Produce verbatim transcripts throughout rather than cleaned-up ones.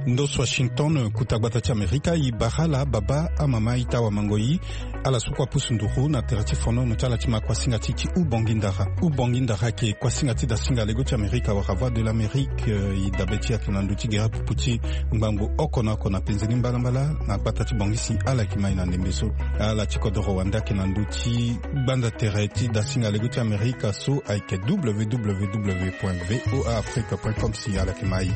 Ndos Washington, kuta gbata ti Amerika, e bara ala baba, amama, ita, wamango, e, ala so kue apusu nduru na tere ti fonono ti ala ti ma kuasinga ti ti hubongi ndara. Hubongi ndara ayeke kuasinga ti dasinga lego ti Amerika wala Voix de l'Amérique, eh, e dabe ti e ayeke na ndö ti gere apupu ti ngbangbo oko na oko na penzeni mbalambala na gbata ti Bangui si ala yeke ma e na ndembe so. Ala ti kodoro wande ayeke na ndö ti gbanda tere ti dasinga lego ti Amerika so ayeke w w w point v o a afrique point com si ala yeke ma e.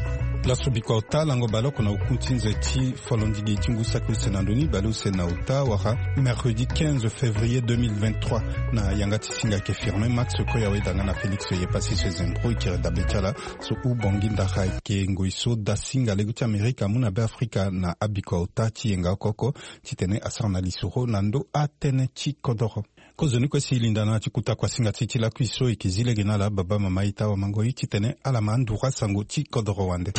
Laso bikua ota, lango baleoko na oku ti nze ti folondigi ti ngu saki use na ndö ni, baleuse na ota wala mercredi quinze février deux mille vingt-trois, na yanga ti singa ayeke Firmin Max Koya, weda nga na Félix Yepasi so e zembro e kiri dabe ti ala. So hubongi ndara ayeke ngoi so dasinga lego ti Amerika amu na Beafrika na abikua ota ti yenga oko oko, titene asara na lisoro na ndö atënë ti kodoro. Kozoni kue si e linda na ala ti kuta kuasinga ti e ti lakui so e yeke zi lege na ala baba, mama, ita, wamango, e, titene ala ma anduru asango ti kodoro wande.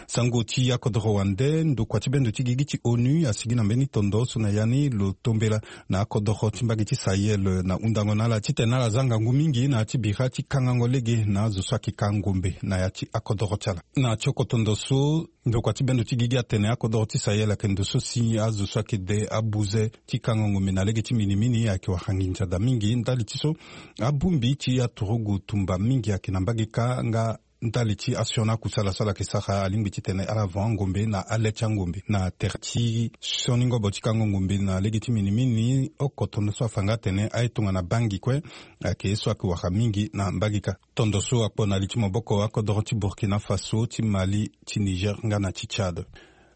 Sango ti akodoro wande, ndokua ti bendo ti gigi ti onu asigi na mbeni tondo so na ya ni lo tombela na akodoro ti mbage ti Sahel na hundango na ala titene ala za ngangu mingi na ya ti bira ti kangango lege na azo so ayeke ka ngombe na ya ti akodoro ti ala. Na tioko tondo so, ndokua ti bendo ti gigi atene akodoro ti Sahel ayeke ndo so si azo so ayeke de abuze ti kango ngombe na lege ti minimini ayeke wara nginza daa mingi ndali ti so abongbi ti aturugu tumba mingi ayeke na mbage kâ, nga ndali ti asioni akusala so ala yeke sara alingbi titene ala van angombe na ale ti angombe na tere ti sioni ngobo ti kango ngombe na lege ti minimini. Oko tondo so afa nga atene aye tongana bangi kue ayeke ye so ayeke wara mingi na mbage kâ. Tondo so akpo na li ti maboko akodoro ti Burkina Faso, ti Mali, ti Niger nga na ti Tchad.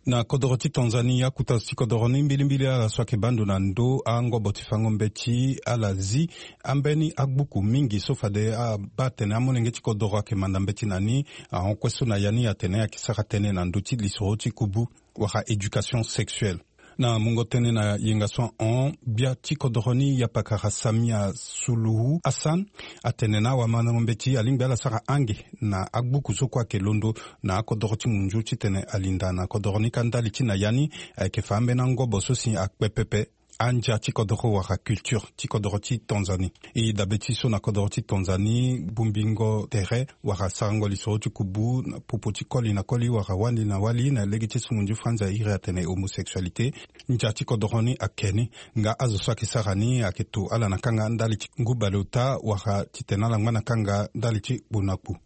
Na kodoro ti Tanzanie, akuta zo ti kodoro ni mbilimbili ala so ayeke bando na ndö angobo ti fango mbeti, ala zi ambeni agbuku mingi so fade abaa atene amolenge ti kodoro ayeke manda mbeti na ni. Ahon kue so na ya ni atene ayeke sara tënë na ndö ti lisoro ti kubu wala éducation sexuelle. Na mungo tënë na yenga so ahon, gbia ti kodoro ni, yapakara Samia Suluhu Hassan, atene na awamandango mbeti alingbi ala sara ange na agbuku so kue ayeke londo na akodoro ti munzu titene alinda na kodoro ni kâ ndali ti na ya ni ayeke fa ambeni angobo so si akpe pepe andia ti kodoro wala culture ti kodoro ti Tanzanie. E dabe ti so na kodoro ti Tanzanie, bongbingo tere wala sarango lisoro ti kubu na popo ti koli na koli wala wali na wali na lege ti sungu nzu franza iri atene homosexualité, ndia ti kodoro ni ake ni. Nga azo so ayeke sara ni ayeke to ala na kanga ndali ti ngu bale ota wala titene ala ngba na kanga ndali ti kpo na kpo.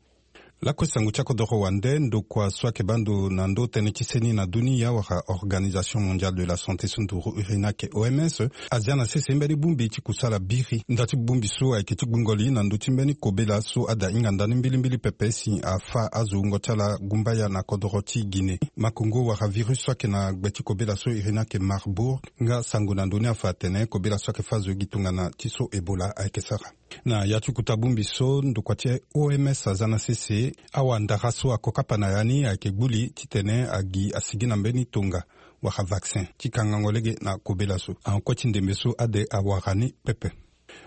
Lakue sango ti akodoro wande, ndokua so ayeke baa ndo na ndo tënë ti seni na dunia wala Organisation Mondiale de la Santé so nduru iri ni ayeke O M S, azia na sese mbeni bongbi ti kusala biri. Nda ti bongbi so ayeke ti gbungo li na ndö ti mbeni kobela so ada hinga ndani mbilimbili pepe si afâ azo wungo ti ala gumbaya na kodoro ti Guinée. Makongo wala virus so ayeke na gbe ti kobela so iri ni ayeke Marburg, nga sango na ndö ni afa atene kobela so ayeke fâ azo gi tongana ti so Ebola ayeke sara. Na ya ti kota bongbi so, ndokua ti O M S aza na sese awandara so akokapa na ya ni ayeke gbu li titene agi asigi na mbeni tonga wala vaccin ti kangango lege na kobela so. Ahon kue ti ndembe so ade awara ni pepe.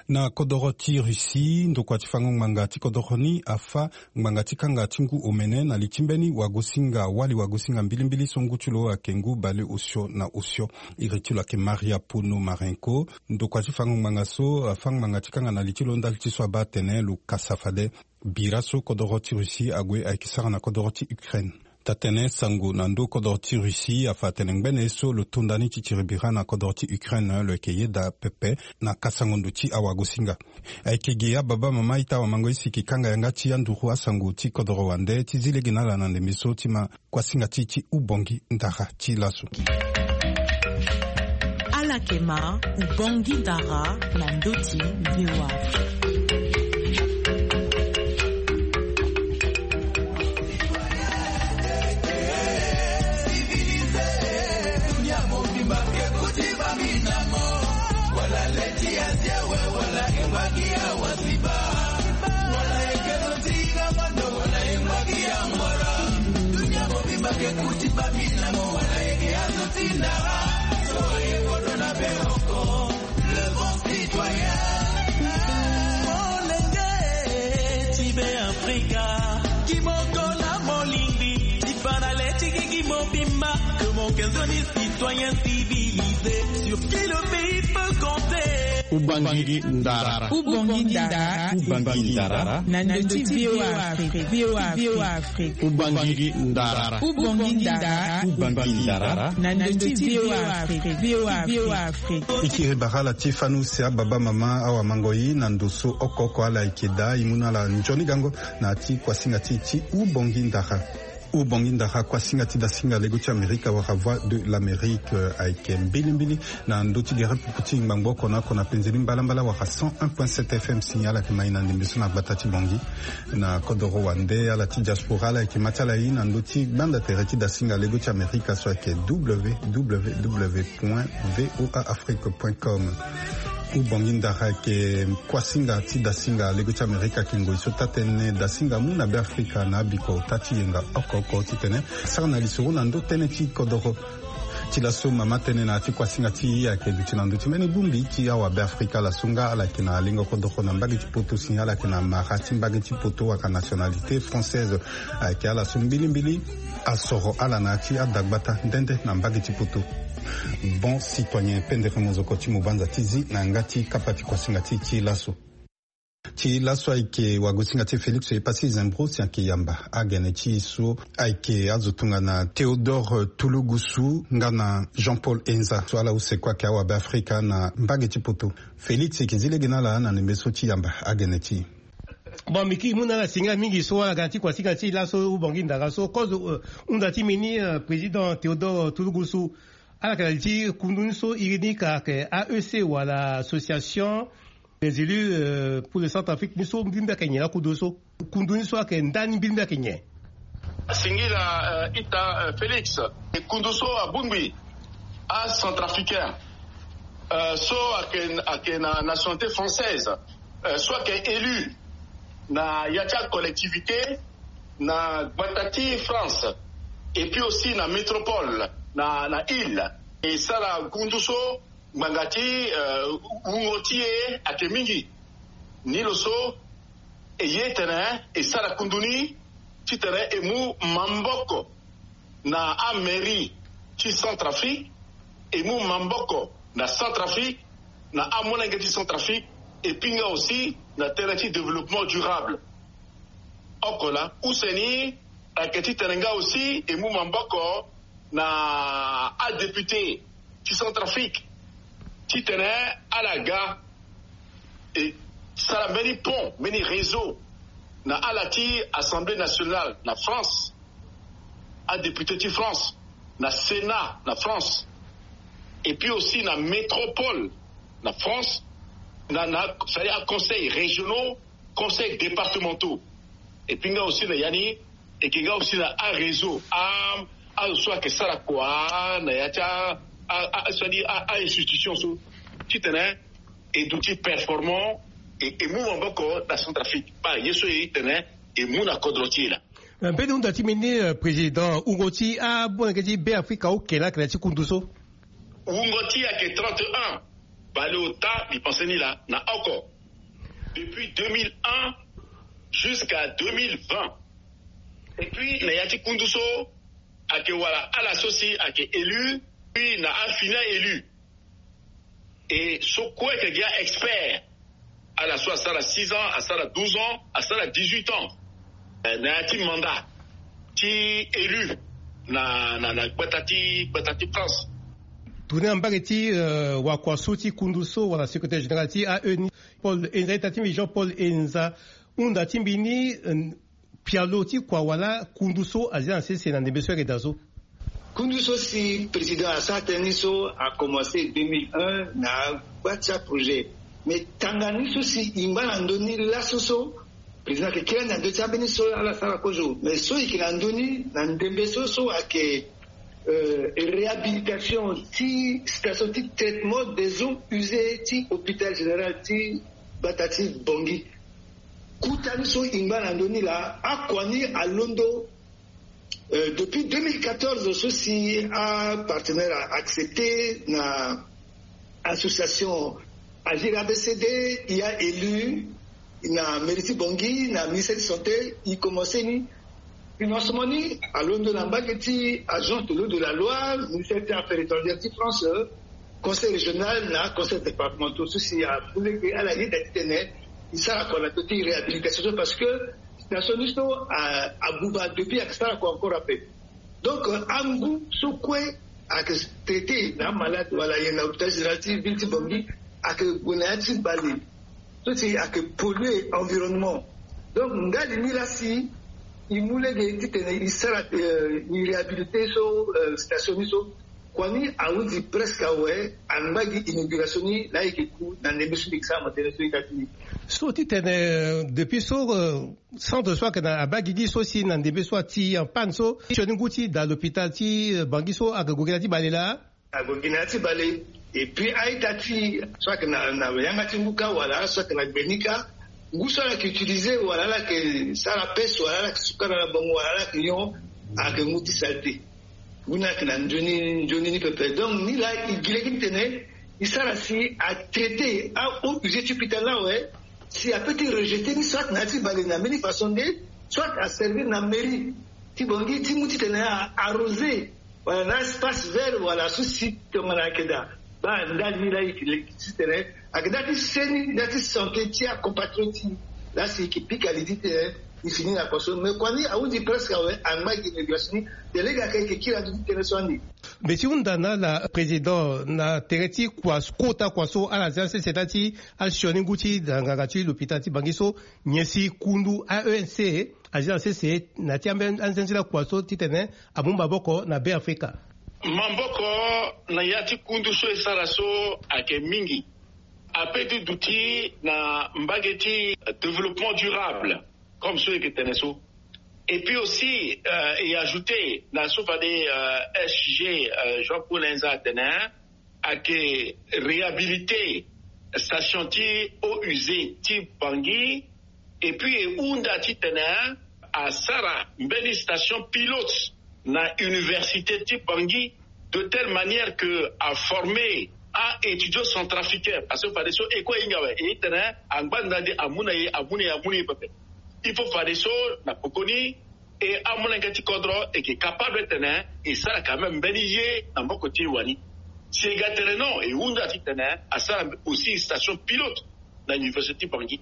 Na kodoro ti Russie, ndokua ti fango ngbanga ti kodoro ni afâ ngbanga ti kanga ti ngu omene na li ti mbeni wagosinga, wali wagosinga mbilimbili so ngu ti lo ayeke ngu bale osio na osio. Iri ti lo ayeke Maria Ponomarenko. Ndokua ti fango ngbanga so afâ ngbanga ti kanga na li ti lo ndali ti so abaa atene lo kasa fade bira so kodoro ti Russie ague ayeke sara na kodoro ti Ukraine. Taa-tënë sango na ndö kodoro ti Russie afa atene ngbene ye so lo to nda ni ti tiri bira na kodoro ti Ukraine lo yeke yeda pepe na kasango ndo ti awagosinga. Ayeke gi ababa, mama, ita, wamango, e si e yeke kanga yanga ti anduru asango ti kodoro wande ti zi lege na ala na ndembe so ti ma kuasinga ti ti hubongi ndara ti laso. Ala yeke ma hubongi ndara na ndö ti V O A. Molenge ti Beafrika, kimoko na molingbi ti fa na le ti gigi mobimba. Que mon cœur de citoyen civilisé, sur qui le pays peut compter. Ubangi ndara. Ubangi ndara. Ubangi ndara. Na ndö ti VOA Afrique. VOA Afrique. Ubangi ndara. Ubangi ndara. Ubangi ndara. Na ndö ti VOA Afrique. VOA Afrique. E kiri bara ala ti fani use, ababa, mama, awamango-i na ndo so oko oko ala yeke daa, e mu na ala nzoni gango na ya ti kuasinga ti e ti Ubangi ndara. Ubangi ndara, kuasinga ti dasinga lego ti Amerika wala Voix de l'Amérique, eh, ayeke mbilimbili na ndö ti gere pupu ti ngbangbo oko na oko na penze ni mbalambala wala cent un point sept F M. Signal ayeke ma e na ndembe so na gbata ti Bangui. Na kodoro wande, ala ti diaspora ala yeke ma ti ala e na ndö ti gbanda tere ti dasinga lego ti Amerika so ayeke W W W point V O A Afrique point com. Ubangi ndara ayeke kuasinga ti dasinga lego ti Amerika, ayeke ngoi so taa-tënë dasinga amu na Beafrika na abiko ota ti yenga oko oko titene sara na lisoro na ndö tënë ti kodoro. Ti laso mama tënë na ya ti kuasinga ti e ayeke duti na ndö ti mbeni bongbi ti awa Beafrika. Ala so nga ala yeke na lengo kodoro na mbage ti poto si ala yeke na mara ti mbage ti poto wala nationalité française. Ayeke ala so mbilimbili asoro ala na ya ti adagbata nde nde na mbage ti poto. Bon citoyen, pendere mozoko ti mo banza ti zi na yanga ti kapa ti kuasinga ti e ti laso. Ti laso ayeke wagosinga ti e Félix Epassi Zembro si ayeke yamba agene ti e so ayeke azo tongana Théodore Tulugusu nga na Jean-Paul Enza so ala use kue ayeke awa Beafrika na mbage ti poto. Félix, e yeke zi lege na ala na ndembe so ti yamba agene ti e. Bon, mbi kiri mu na ala singa mingi so ala ga na ti kuasinga ti e laso Ubangi ndara so kozo, eh, hunda ti mbi ni, eh, président Théodore Tulugusu. Ala yeke na li ti kundu ni so iri ni ka ayeke A E C wala Association des élus, euh, pour le Centrafrique, ni so mbi mbi ayeke nyen lakundu so? Kundu ni so ayeke ndani, mbi mbi ayeke nyen? Singila, euh, ita, euh, Félix. E kundu so abongbi acentrafricain, euh, so ayeke, ayeke na nationalité française, euh, so ayeke élu na ya ti acollectivité na gbata ti France, et puis aussi na métropole, na, na île. E sara kundu so ngbanga ti, euh, wungo ti e ayeke mingi. Ni lo so e ye tene e sara kundu ni titene e mu maboko na amairie ti Centrafrique, e mu maboko na Centrafrique, na amolenge ti Centrafrique, et puis nga aussi na tere ti développement durable. Oko laa, use ni ayeke titene nga aussi e mu maboko na adéputé ti Centrafrique titene ala ga e sara mbeni pont, mbeni réseau na ala ti Assemblée nationale na France, adéputé ti France, na Sénat na France, et puis aussi na métropole na France, na, na, c'est-à-dire aconseil régionaux, conseils départementaux. Et puis nga aussi na ya ni, e yeke nga aussi na aréseau, a, azo so ayeke sara kua na ya ti a, a, a, c'est-à-dire a, a institution so titene e duti performant, e, e mu maboko na Centrafrique. Baa ye so e tene e mu na kodro ti e laa. Eh, mbeni hunda ti mbi ni, eh, président, wungo ti amolenge ti Beafrika oke laa ayeke na ya ti kundu so? Wungo ti e ayeke trente et un. Bale ota mbi pense ni laa na oko. Depuis deux mille un jusqu'à deux mille vingt. Et puis na ya ti kundu so ayeke wala ala so si ayeke élu, puis na afini a-élu. E so kue ayeke gi a-expert, ala so asara six ans, asara douze ans, asara dix-huit ans, eh, na ya ti mandat ti élu na, na, na gbata ti, gbata ti France. Tourné na mbage ti, euh, wakua so ti kundu so wala secrétaire général ti A E ni, Paul Enza, ita ti mbi Jean Paul Enza, hunda ti mbi ni, euh, pialo ti kua wala kundu so azia na sese na ndembe so ayeke daa so? Kundu so si président asara tënë ni so a commencé deux mille un na gba ti aprojet. Mais tanga ni so si e ngba na ndö ni laso so, président ayeke kiri ande na ndö ti ambeni so ala sara kozo. Mais so e yeke na ndö ni na ndembe so so ayeke, euh, réhabilitation ti station ti traitement des eaux usées ti hôpital général ti gbata ti Bangui. Kota ni so e ngba na ndö ni laa, akua ni alondo, euh, depuis deux mille quatorze so si apartenaire a accepté na association Agir A B C D, e ya élu na mairie ti Bangui, na ministère ti santé, e commencé ni. Financement ni alondo na mbage ti agence de l'eau de la Loire, ministère ti affaires étrangères ti France, euh, Conseil régional na conseil départemental so si amu lege ala yeda titene e sara kua na ndo ti réhabilitation so parce que na sioni so abuba depuis ake sara kua encore ape. Donc angu so kue ake traité na amalade wala nyen na hôpital général ti ville ti Bangui ake gue na ya ti bale so si ake polluer environnement. Donc ndali ni laa si e mu lege titene e sara e réhabiliter so station ni so. Kua ni ahundi presque awe angba gi inauguration ni laa e yeke ku na ndembe so mbi yeke sara matene so e ta ti ni. So titene depuis so centre so ayeke na abaa gigi so si na ndembe so ati en panne so sioni ngu ti da l'hôpital ti Bangui so ayeke gue gi na ya ti bale laa. Ague gi na ya ti bale. Et puis a-ita ti so ayeke na yanga ti ngu kâ wala so ayeke na gbe ni kâ, ngu so ala yeke utiliser wala ala yeke sara pese wala ala yeke sukana na bango wala ala yeke nyon, ayeke ngu ti saleté. Ngu ni ayeke na nzoni nzoni ni pepe. Donc ni laa e gi lege titene e sara si atraité a-eaux usées ti hôpital ni awe. Si apeut ti rejeter ni soit na ya ti bale na mbeni façon nde soit aservir na mairie ti Bangui ti mu titene a arroser wala na espace vert wala so si tongana ayeke daa. Baa ndali ni laa e yeke leke titene ayeke nda ti seni nda ti santé ti acompatriote ti e. Laa si e yeke pika li titene e fini na kua so mais kua ni ahundi presque awe angba gi inauguration ni. Te lege ayeke e yeke kiri ando ti tënë so ande. Mbi ti hunda na ala président na tere ti kua kota kua so ala zia sese nda ti asioni ngu ti da nganga ti l'hôpital ti Bangui so nyen si kundu A E N C azi na sese na ya ti ambeni anzenzila kua so titene amu maboko na Be Afrika. Maboko na ya ti kundu so e sara so ayeke mingi. Ape ti duti na mbage ti développement durable comme so e yeke tene so. Et puis aussi e ajouter na so fade S G Jean Paul Enza atene ayeke réhabiliter station ti eaux usées ti Bangui. Et puis e hunda titene asara mbeni station pilote na université ti Bangui de telle manière que aformer a-étudiant centrafricain parce que fadeso e kue e hinga awe e tene angba nda nde amu na e amu na e amu na e pepe. Il faut fadeso na pokoni e amolenge ti kodro e yeke capable tene e sara quand même mbeni ye na maboko ti e wani. Si e ga tene non e hunda titene asara aussi station pilote na université ti Bangui.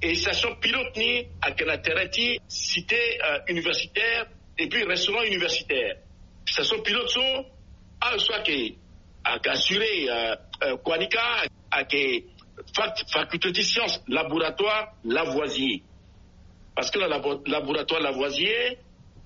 Et station pilote ni ayeke na terrain ti cité universitaire et puis restaurant universitaire. Station pilote so awe so ayeke ayeke assurer kua ni kâ ayeke faculté ti science laboratoire Lavoisier. Parce que na laboratoire Lavoisier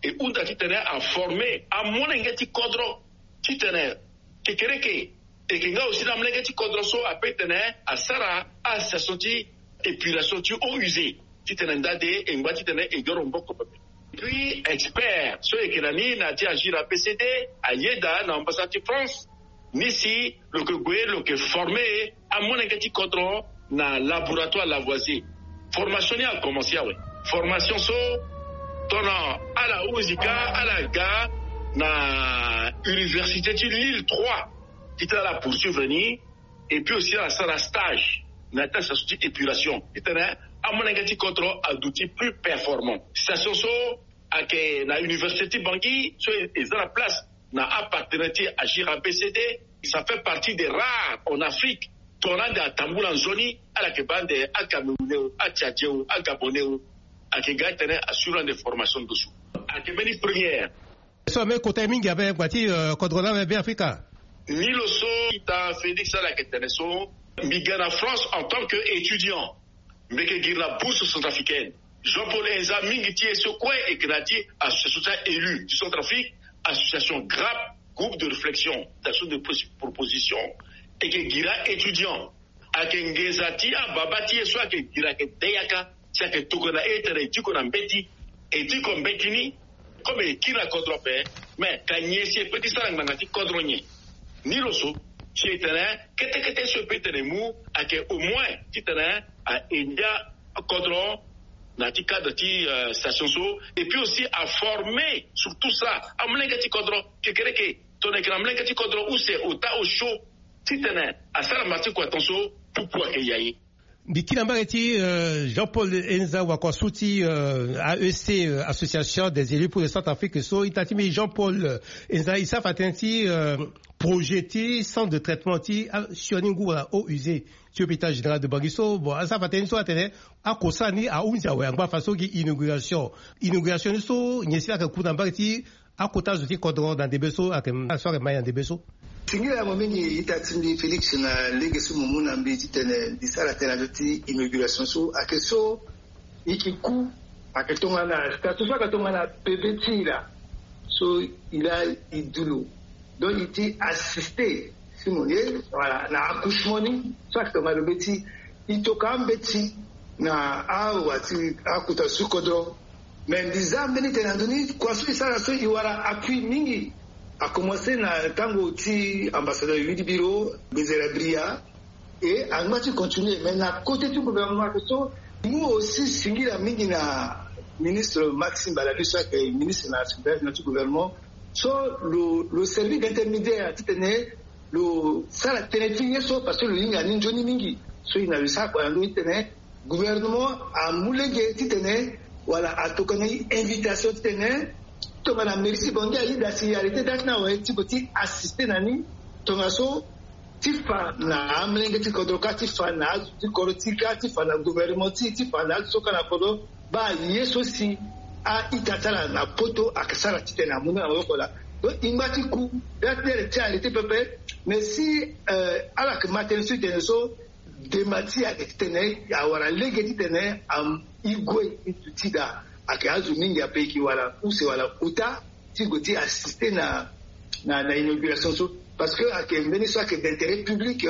e hunda titene aformer amolenge ti kodro titene kekereke e yeke nga aussi na amolenge ti kodro so ape titene asara association ti épuration ti eaux usées titene nda nde e ngba titene e yoro maboko pepe. Puis expert so e yeke na ni na ya ti agir A B C D ayeda na ambassade ti France ni si lo yeke gue lo yeke former amolenge ti kodro na laboratoire Lavoisier. Formation ni akomencer awe. Formation so tongana ala hunzi kâ ala ga na université ti Lille trois titene ala poursuivre ni. Et puis aussi ala sara stage na ya ti association ti épuration titene amolenge ti kodro aduti plus performant. Station so ayeke na université ti Bangui so e za na place na apartenaire ti agir A B C D. Ça fait partie des rares en Afrique tongana ande atambula nzoni ala yeke baa ande acamerounais o atchadien o agabonais o ayeke ga titene assurer ande formation ndosu. Ayeke mbeni première. So ambeni kota ye mingi ape ngba ti kodro ni awe Be Afrika. Ni lo so ita Félix ala yeke tene so mbi ga na France en tant que étudiant. Mbi yeke giri na bourse centrafricaine. Jean Paul Enza mingi ti ye so kue e yeke na ya ti association ti a-élu ti Centrafrique, association grap, groupe de réflexion d'action de proposition. E yeke giri a-étudiant. Ayeke nginza ti ababa ti ye so ayeke giri ayeke de yaka si ayeke tokua na e tene e diko na mbeti. E diko mbeti ni comme e kiri na kodro ape. Mais ka nyen si e peut ti sara ngbanga ti kodro nyen? Ni lo so si e tene kete kete so e peut ti tene e mu ayeke au moins ti tene a aider kodro na ya ti cadre ti station so. Et puis aussi a former sur tout ça amolenge ti kodro kekereke. Tongana e yeke na molenge ti kodro use ota osio titene asara mara ti kua tongaso. Pupu ayeke ya ye. Mbi kiri na mbage ti Jean Paul Enza wakua su ti A E C, Association des élus pour le Centrafrique so ita ti mbi Jean Paul Enza e sara fa tënë ti projet ti centre de traitement ti asioni ngu wala eaux usées ti hôpital général de Bangui so. Bon, asara fa tënë ni so atene akosara ni ahunzi awe angba fa so gi inauguration. Inauguration ni so nyen si laa ayeke ku na mbage ti akota zo ti kodro na ndembe so ayeke so ayeke mai na ndembe so. Singila mo mingi ita ti mbi Félix na lege so mo mu na mbi titene mbi sara tënë na ndö ti inauguration so ayeke so i ki ku ayeke tongana statut so ayeke tongana bebe ti i laa. So i laa i du lo, donc i ti assiste si mo ye wala na accouchement ni so ayeke tongana lo mbeti i toka ambeti na awa ti akota su kodro. Mais mbi za mbeni tene na ndö ni kua so i sara so i wara appui mingi. Akomanse na tango ti ambassadeur Yudi Biro, Bezera Bria, e angba ti continuer. Mais na côté ti gouvernement ayeke so mu aussi singila mingi na ministre Maxime Balabi so ayeke ministre na secrétaire général ti gouvernement so lo lo servir d'intermédiaire titene lo sara tënë ti ye so parce que lo hinga ni nzoni mingi. So i na lo sara kua na ndö ni titene gouvernement amu lege titene wala atokana i invitation titene tongana mairie ti Bangui ayeda si arrêté date ni awe ti gue ti assister na ni tongaso ti fa na amolenge ti kodro kâ ti fa na azo ti kodro ti kâ ti fa na gouvernement ti ti fa na azo so kâ na kodro. Baa ye so si a-ita ti ala na poto ayeke sara titene amu ni na maboko laa. Donc i ngba ti ku date ni ayeke ti arrêté pepe. Mais si ala yeke ma tënë so i tene so dema ti e ayeke titene awara lege titene i gue i duti daa. Ayeke azo mingi ape e yeke wara use wala ota ti gue ti assister na na na inauguration so. Parce que ayeke mbeni so ayeke d'intérêt public.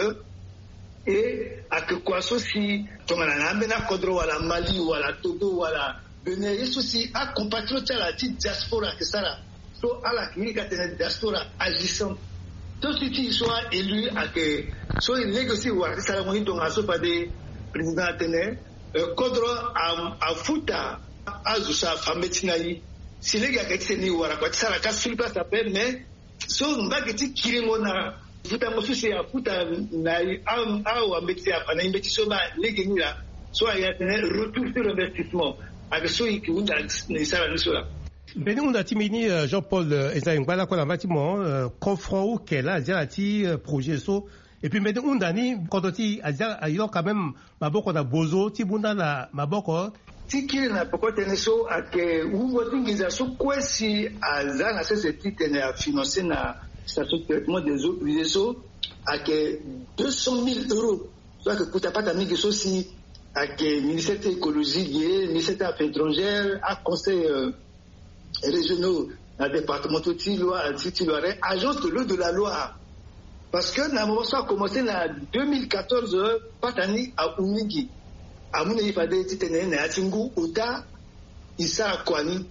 E ayeke kua so si tongana na ambeni akodro wala Mali wala Togo wala Bénin ye so si acompatriote ti ala ti diaspora ayeke sara. So ala yeke iri ka tene diaspora agissante. To si ti e so a-élu ayeke so e lege so e wara ti sarango ni tongaso fade président atene kodro afuta azo so afa mbeti na e. Si lege ayeke titene e wara kua ti sara ka sur place ape mais so mbage ti kiringo na futango so si afuta na awambeti afa na e mbeti so baa lege ni laa. So aye atene retour sur investissement. Ayeke so e yeke hunda na e sara ni so laa. Mbeni hunda ti mbi ni Jean Paul, eza e ngba lakue na mba ti mo. Confront uke laa azia na ti projet so. Et puis mbeni hunda ni kodro ti e azia ayo quand même maboko na bozo ti bunda na maboko. Ti kiri na peko tënë so ayeke wungo ti nginza so kue si aza na sese titene afinance na station traitement des eaux usées so ayeke deux cent mille euros. So ayeke kuta pata mingi so si ayeke ministère ti écologie ge, ministère ti affaires étrangères, aconseil régionaux na départementaux ti Loire ti ti Loiret, agence de l'eau de la Loire. Parce que na moment so akomanse na deux mille quatorze pata ni ahu mingi. Amu na e fade titene na ya ti ngu ota e sara kua ni.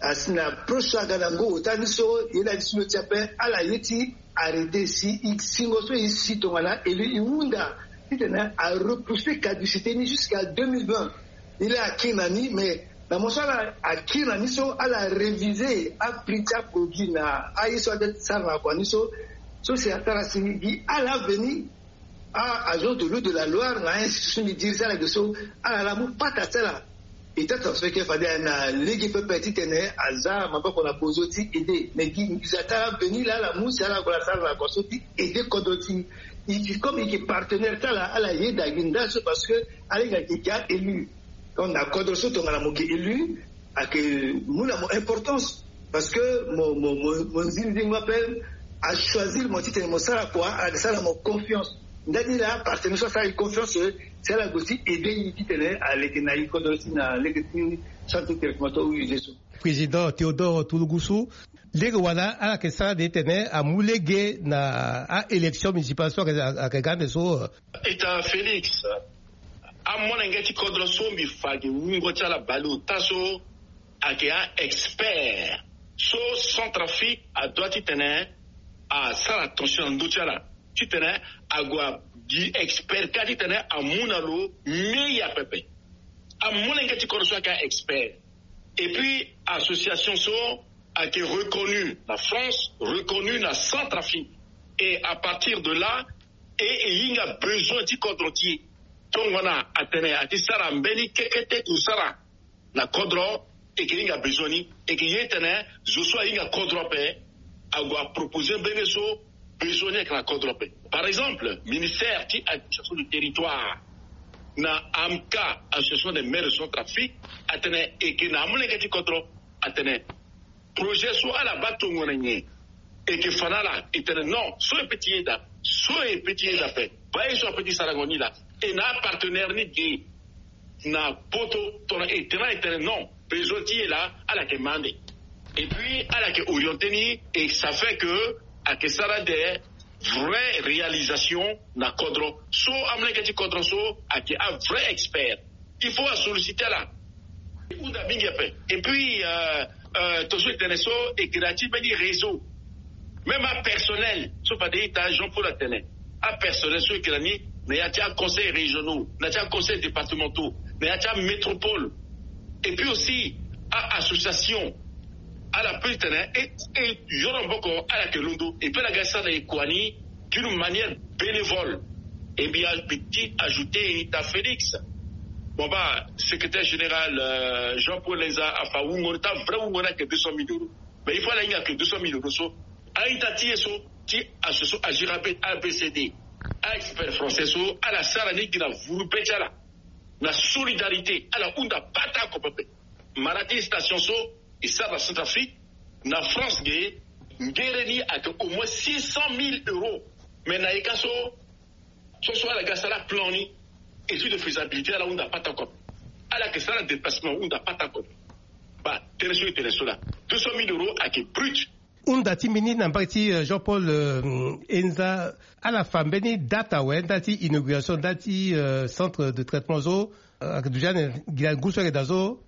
Asi na proche so aga na ngu ota ni so e laa ti si lo ti ape ala ye ti arrêté si e singo so e si tongana élu e hunda titene arepousser caducité ni jusqu'à deux mille vingt. E laa akiri na ni mais na mo so ala akiri na ni so ala réviser aprix ti aproduit na aye so aza ti sara na kua ni so. So si asara si gi ala aveni a-agence de l'eau de la Loire na a-institution ni diri ti ala ge so ala laa mu pata ti ala. E tata so eke fade na lege pepe titene aza maboko na bozo ti aider mais gi nginza ti ala aveni laa ala mu si ala gue ala sara na kua so ti aider kodro ti e. Comme e yeke partenaire ti ala ala yeda gi nda so parce que ala hinga yeke gi a-élu. Donc na kodro so tongana mo yeke élu ayeke mu na mo importance. Parce que mo mo mo mo nzinzi mo ape achoisir mo titene mo sara kua ayeke sara na mo confiance. Ndani laa partenaire so asara e confiance si ala gue ti aider e titene aleke na e kodro ti na lege ti centre traitement to use so. Président Théodore Tulugusu, lege wala ala yeke sara de titene amu lege na a-élection municipale so ayeke ga ande so. Ita Félix, amolenge ti kodro so mbi fa gi wungo ti ala baleota so ayeke a-expert so Centrafrique adoit titene asara attention na ndö ti ala titene ague gi expert kâ titene amu na lo meilleur pepe. Amolenge ti kodro so ayeke a-expert. Et puis association so ayeke reconnu na France, reconnu na Centrafrique. Et à partir de là e e hinga besoin ti kodro ti e. Tongana atene ati sara mbeni kekete kusara na kodro, e ke hinga besoin ni. E ke ye tene zo so ahinga kodro ape ague aproposer mbenge so besoin ni ayeke na kodro ape. Par exemple, ministère ti administration du territoire na amka, association des maires de Centrafrique, atene eke na amolenge ti kodro, atene projet so ala baa tongo na nyen? Eke fa na ala? E tene non, so e pe ti yeda, so e pe ti yeda ape. Baa ye so ape ti sarango ni laa. E na apartenaire ni ge na poto, tongana e tene, e tene non, besoin ti e laa, ala yeke ma ande. Et puis ala yeke orienter ni, et ça fait que ayeke sara des vraies réalisations na kodro so, amolenge ti kodro so ayeke avrai expert. Il faut asolliciter ala. E hunda mingi ape. Et puis euh, euh, to so e tene so, e kiri ti mbeni réseau. Même apersonnel so fade ita Jean Paul atene, apersonnel so e kiri ni na ya ti aconseil régionaux, na ya ti aconseil départementaux, na ya ti amétropole, et puis aussi a association. Ala pe tene e, e yoro maboko, ala yeke londo. Et puis ala ga sara na e kua ni d'une manière bénévole. Et bien petit ajouter ita Félix, bon baa, secrétaire général euh, Jean Paul Lenza afa wungo ni, ta vrai wungo ni ayeke deux cent mille euros. Mais il faut ala hinga que deux cent mille euros so, a-ita ti e so ti association Agir A B C D, a-expert français so, ala sara ni gi na vuru be ti ala na solidarité. Ala hunda pata ako pepe. Mara ti station so e sara na Centrafrique, na France ge, ngere ni ayeke au moins six cent mille euros. Mais na e ka so, so so ala ga sara plan ni, étude de faisabilité, ala hunda pata ako. Ala yeke sara déplacement, hunda pata ako. Baa, tënë so e tene so laa, deux cent mille euros ayeke brut. Hunda ti mbeni na mbage ti euh, Jean Paul euh, Enza, ala fa mbeni date awe ndali ti inauguration ndali ti euh, centre de traitement so? Euh, ayeke duti ane gi na ngu so ayeke daa so.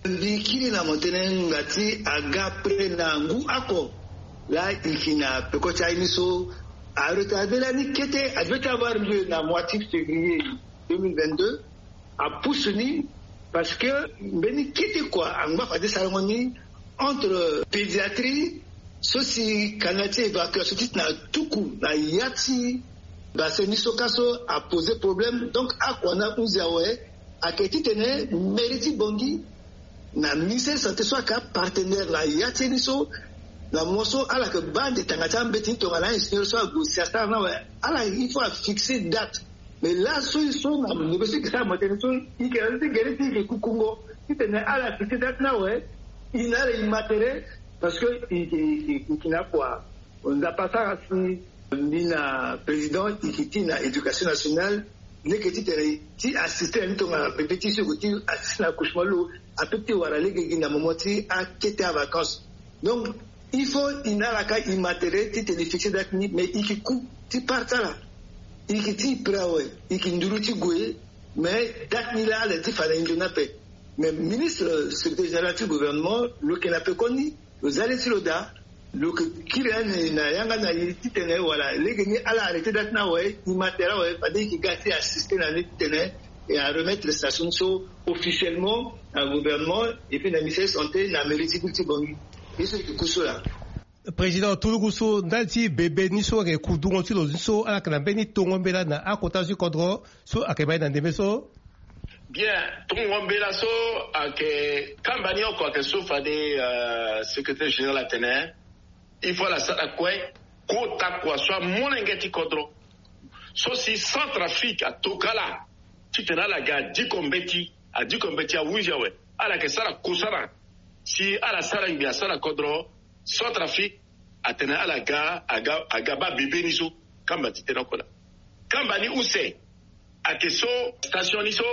Mbi kiri na mo tënë nga ti aga près na ngu oko laa e yeke na peko ti aye ni so, aretarder lani kete, a devait avoir lieu na mois ti février deux mille vingt-deux. Apousse ni parce que mbeni kete kua angba fade sarango ni entre pédiatrie so si canal ti évacuation titene atuku na ya ti bassin ni so ka so apose problème. Donc akua ni ahunzi awe ayeke titene mairie ti Bangui na ministère santé so ayeke apartenaire na ya ti ye ni so, na mo so ala yeke baa ande tanga ti ambeti ni tongana ingénieur so ague si asara ni awe. Ala il faut afixer date. Mais laso e so na ndembe so e ke sara mo tene so, e ke na ndö ti gere ti e ke kukungo titene ala fixer date ni awe. E na ala e ma tere parce que e ke, e ke, e ke na kua. Nzapa asara si mbi na président e ke ti na éducation nationale, leke titene ti assister na ni tongana bebe ti e so e ke ti assister na accouchement lo, ape ti wara lege gi na moment ti akete avacance. Donc il faut e na ala ka e ma tere titene e fixer date ni, mais e ke ku ti part ti ala. E ke ti prêt awe, e ke nduru ti gue. Mais date ni laa ala ye ti fa na e nzoni ape. Mais ministre secrétaire général ti gouvernement lo yeke na pekoni, lo za le ti lo daa. Lo yeke kiri ane na yanga na e titene wala lege ni ala arrêter date ni awe, e ma tere awe fade e yeke ga ti assister na ni titene e aremettre station ni so officiellement na gouvernement et puis na ministère santé na mairie ti ville ti Bangui. Ye so e yeke ku so laa. Président, turugu so ndali ti bebe ni so ayeke kudungo ti lo ni so, ala yeke na mbeni tongo mbela na akota ti kodro so ayeke ma e na ndembe so? Bien, tongo mbela so ayeke kamba ni oko ayeke so fade euh, secrétaire général atene il faut ala sara kue kota kua so amolenge ti kodro so si Centrafrique atoka ala titene ala ga adiko mbeti, adiko mbeti ahunzi awe. Ala yeke sara kosara si ala sara ngbi asara kodro. Centrafrique atene ala ga, aga, aga baa bebe ni so. Kamba ti tene oko laa. Kamba ni use ayeke so, station ni so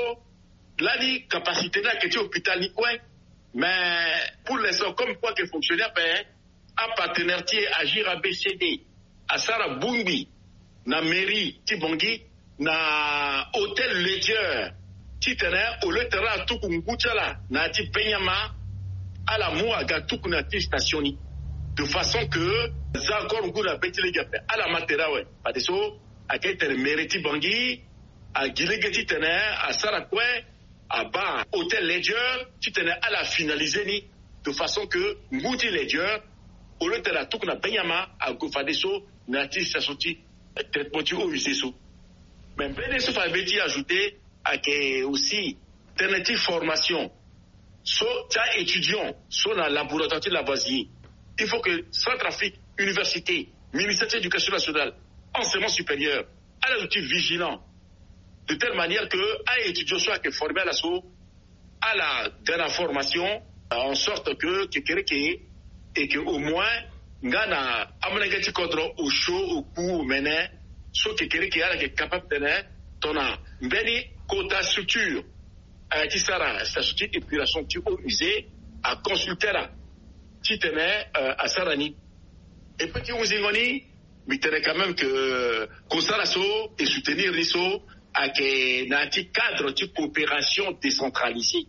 lani capacité ni ayeke ti hôpital ni kue. Mais pour l'instant comme kue ayeke fonctionner ape, apartenaire ti e Agir A B C D asara bongbi na mairie ti Bangui na hôtel Ledger titene au lieu titene ala tuku ngu ti ala na ya ti benyama, ala mu aga tuku na ya ti station ni, de façon que za encore ngu na be ti lege ape. Ala ma tere awe fadeso ayeke titene mairie ti Bangui agi lege titene asara kue, abaa hôtel Ledger titene ala finaliser ni de façon que ngu ti Ledger au lieu titene atuku na benyama, ague fadeso na ya ti station ti traitement ti eaux usées so. Mais mbeni ye so fade mbi ye ti ajouter ayeke aussi tënë ti formation so ti a-étudiant so na laboratoire ti Lavoisier. Il faut que Centrafrique, université ministère ti éducation nationale, enseignement supérieur, ala zo ti vigilant, de telle manière que a étudiant so ayeke formé ala so, ala ga na formation, en sorte que kekereke, et que au moins nga na amolenge ti kodro osio oku omene, so kekereke ala yeke capable tene tongana mbeni kota structure, eh, ti sara statut ti épuration ti haut musée, aconsulte ala titene, eh, asara ni. Et puis ti hunzingo ni, mbi tene quand même que kosala so e soutenir ni so ayeke na ya ti cadre ti coopération décentralisée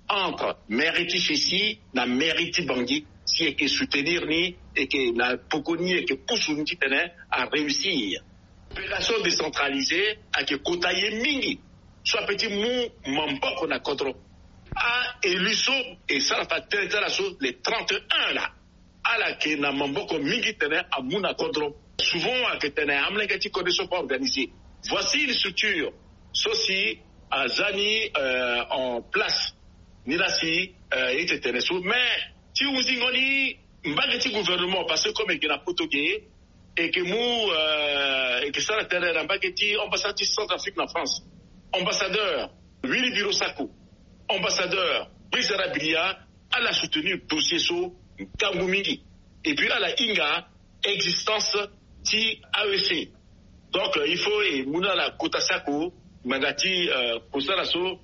entre mairie ti Séti na mairie ti Bangui, si e yeke soutenir ni, e yeke na poko ni, e yeke pusu ni titene aréussir. Coopération décentralisée ayeke kota ye mingi so ape ti mu maboko na kodro. A-élu so e sara fa tënë ti ala so, les trente et un la, ala yeke na maboko mingi tene amu na kodro. Souvent ayeke tene amolenge ti kodro so ape organisé. Voici une structure so si aza ni, euh, en place, ni la si, euh, e tene so. Mais ti hunzingo ni, mbage ti gouvernement, parce que comme e yeke na poto ge, e yeke mu, euh, e yeke sara tënë na mbage ti ambassade ti Centrafrique na France, ambassadeur Willy Biro Sako, ambassadeur Brice Dara Bilia, ala soutenir dossier so ngangu mingi. Et puis ala hinga existence ti A E C. Donc, euh, il faut e mu na ala kota sako ngbanga ti, euh, kosala so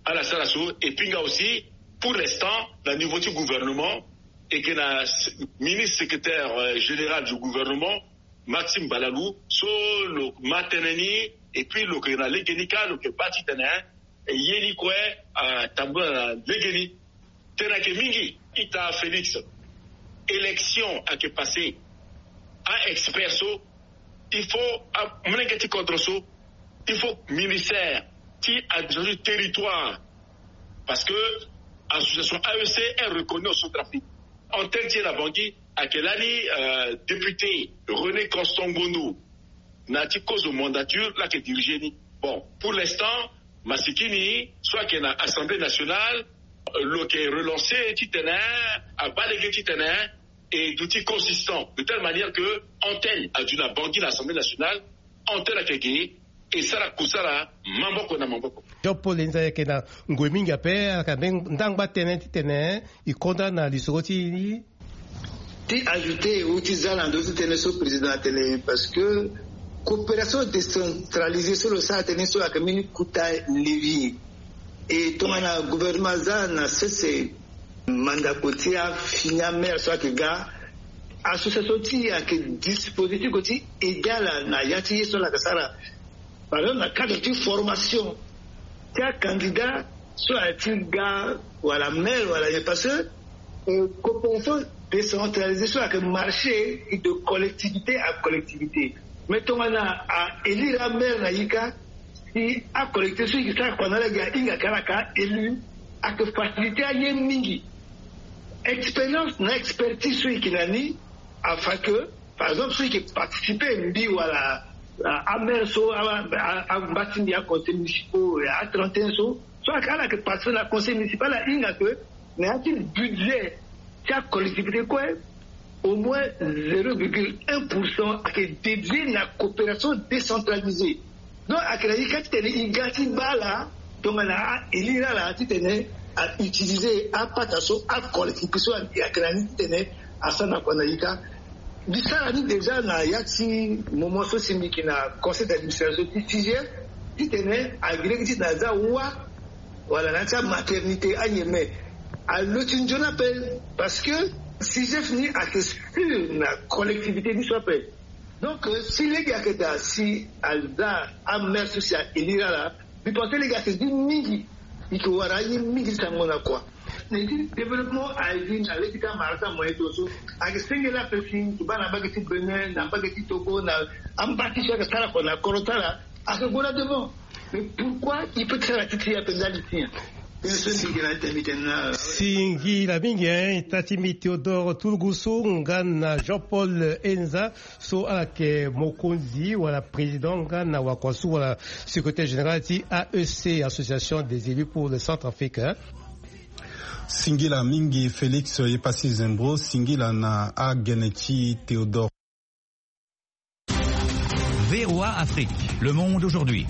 ala sara so. Et puis nga aussi, pour l'instant, na niveau ti gouvernement, e yeke na s-, ministre secrétaire, euh, général du gouvernement, Maxime Balalou, so lo ma tënë ni, et puis lo yeke na legeni kâ, lo yeke bâ titene, hein, e ye ni kue, ah, tambula na legeni. Tënë ayeke mingi. Ita Félix, élection ayeke passé. A-expert so, il faut, amolenge ti kodro so, il faut ministère ti administration du territoire, parce que association A E C est reconnue au Centrafrique. Antenne ti e na Bangui ayeke lani, euh, député René Constant Ngondo, na ti kozo mandature la ayeke diriger ni. Bon, pour l'instant, masikini so ayeke na Assemblée nationale, euh, lo yeke relancer titene abâ lege titene e duti consistant, de telle manière que antenne aduti na Bangui na Assemblée nationale, antenne ayeke ge, e sara kosala maboko na maboko. Jean Paul Enza, e yeke na ngoi mingi ape, ala yeke na ndangba tënë titene e konda na lisoro ti e ni. Ti ajouter ou ti za na ndö ti tënë so président atene, parce que coopération décentralisée so lo sara tënë so ayeke mbeni kota levier. E tongana gouvernement aza na sese mandako ti afini amaire so ayeke ga, association ti e ayeke disposer ti gue ti aider ala na ya ti ye so ala yeke sara. Par exemple, na cadre ti formation ti acandidat so ayeke ti ga wala maire wala ye, parce que, euh, coopération décentralisée so ayeke marché de collectivité à collectivité. Mais tongana a élire amaire na ye kâ, si acollectivité so e yeke sara kua na ala ge ahinga ka ala ka élu, ayeke faciliter aye mingi. Expérience na expertise so e yeke na ni afa que, par exemple, so e yeke participer mbi wala, ah, amaire so, ah, ah, ah, mba ti mbi aconseil municipal, ah, trente et un so, so ala yeke participer na conseil municipal, ahinga que na ya ti budget ti acollectivité kue, au moins zéro virgule un pour cent ayeke dédié na coopération décentralisée. Donc ayeke na ye kâ titene e ga ti bâ ala tongana a élire ala titene a utiliser apata so acollectivité so ayeke na ni titene asara na kua na ye kâ. Mbi sara ni déjà na ya ti moment so si mbi yeke na conseil d'administration ti C G F, titene a gi lege titene aza wâ wala na ya ti amaternité aye, mais alo ti nzoni ape, parce que C G F ni ayeke sûr na collectivité ni so ape. Donc, euh, si lege ayeke daa, si aza amaire so si a élire ala, mbi pense lege ayeke gi mingi. E yeke wara aye mingi ti sango na kua. Na ye ti développement aye gi na lege ti amara ti amoyen ti lo so. Ayeke senge laa ape si e yeke baa na mbage ti Bénin, na mbage ti Togo, na amba ti so ayeke sara kua na kodro ti ala, ayeke gue na devant. Mais pourquoi e peut ti sara ti ti ape ndali ti nyen? Bien sûr, mbi yeke na tene, mbi tene na. Singila mingi, hein, ita ti mbi Théodore Toulgousou nga na Jean-Paul Enza, so ala yeke mokonzi wala président nga na wakua so wala secrétaire général ti A E C, Association des élus pour le Centrafrique, hein. Singila mingi Félix, ye pasi zembro, singila na agene ti Théodore. Afrique, le monde aujourd'hui.